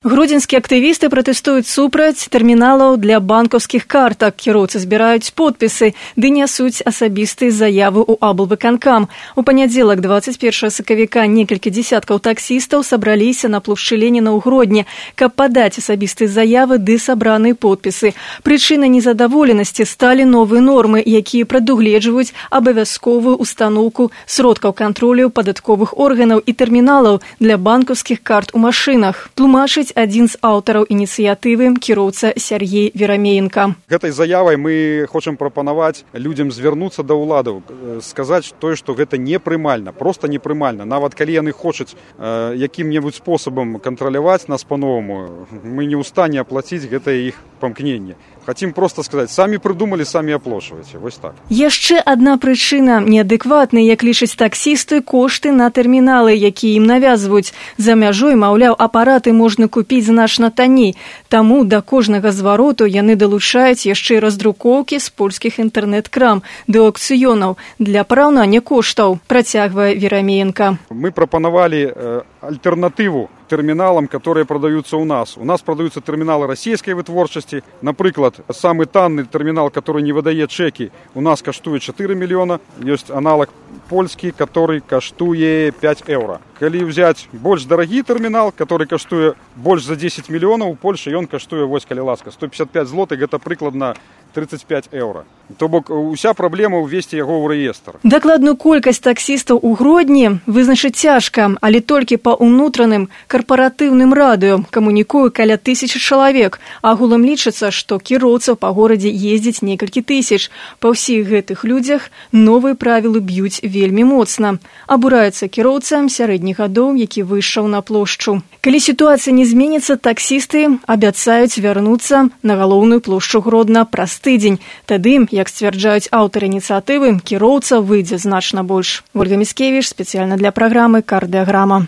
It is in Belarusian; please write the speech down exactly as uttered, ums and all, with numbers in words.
Гродзенскія актывісты пратэстуюць супраць тэрміналаў для банкаўскіх картак. Кіроўцы збіраюць подпісы, ды нясуць асабістыя заявы ў аблвыканкам. У панядзелак, дваццаць першага сакавіка, некалькі дзесяткаў таксістаў сабраліся на плошчы Леніна ў Гродні, каб падаць асабістыя заявы ды сабраныя подпісы. Прычынай незадаволенасці сталі новыя нормы, якія прадугледжваюць абавязковую устаноўку сродкаў кантролю падатковых органаў і тэрміналаў для банкаўскіх карт у машынах. Тлумачыць адзін з аўтараў ініцыятывы, кіроўца Сяргей Верамеенка. Гэтай заявай мы хочам прапанаваць людзям звярнуцца да ўладаў, сказаць тое, што гэта непрымальна, проста непрымальна. Нават калі яны хочуць э, якім-небудзь спосабам кантраляваць нас па-новаму, мы не ў стане аплаціць гэтае іх памкненне. Хацім проста сказаць, самі прыдумалі, самі аплошваеце. Вось так. Яшчэ адна прычына – неадэкватныя, як лічаць таксісты, кошты на тэрміналы, якія ім навязваюць. За мяжой, маўляў, апараты можна купіць значна танней. Таму да кожнага звароту яны далучаюць яшчэ і раздрукоўкі з польскіх інтэрнэт-крам ды аўкцыёнаў для параўнання коштаў, працягвае Верамеенка. Мы прапанавалі э, альтэрнатыву терминалам, которые продаются у нас. У нас продаются терминалы российской вытворчасці. Например, самый танный терминал, который не выдает чеки, у нас каштует чатыры миллиона. Есть аналог польский, который каштуе пять евро. Калі взять больш дарагі тэрмінал, который каштуе больш за десять мільёнаў, у Польшы ён каштуе, вось калі ласка, сто пятьдесят пять злотых, гэта прыкладна тридцать пять евро. То бок уся праблема ўвесці яго ў рэестр. Дакладную колькасць таксістаў у Гродні вызначыць цяжка, але толькі па ўнутраным карпаратыўным радыё камунікуе каля тысячы чалавек. Агулам лічыцца, што кіроўцаў па горадзе ездзіць некалькі тысяч. Па ўсіх гэтых людзях новыя правілы б'юць вельмі моцна. Абураецца кіроўцам сярэдніх гадоў, які выйшаў на плошчу. Калі сітуацыя не зменіцца, таксісты абяцаюць вярнуцца на галоўную плошчу Гродна праз тыдзень. Тады, як сцвярджаюць аўтары ініцыятывы, кіроўца выйдзе значна больш. Ольга Міскевіч, спецыяльна для праграмы «Кардыаграма».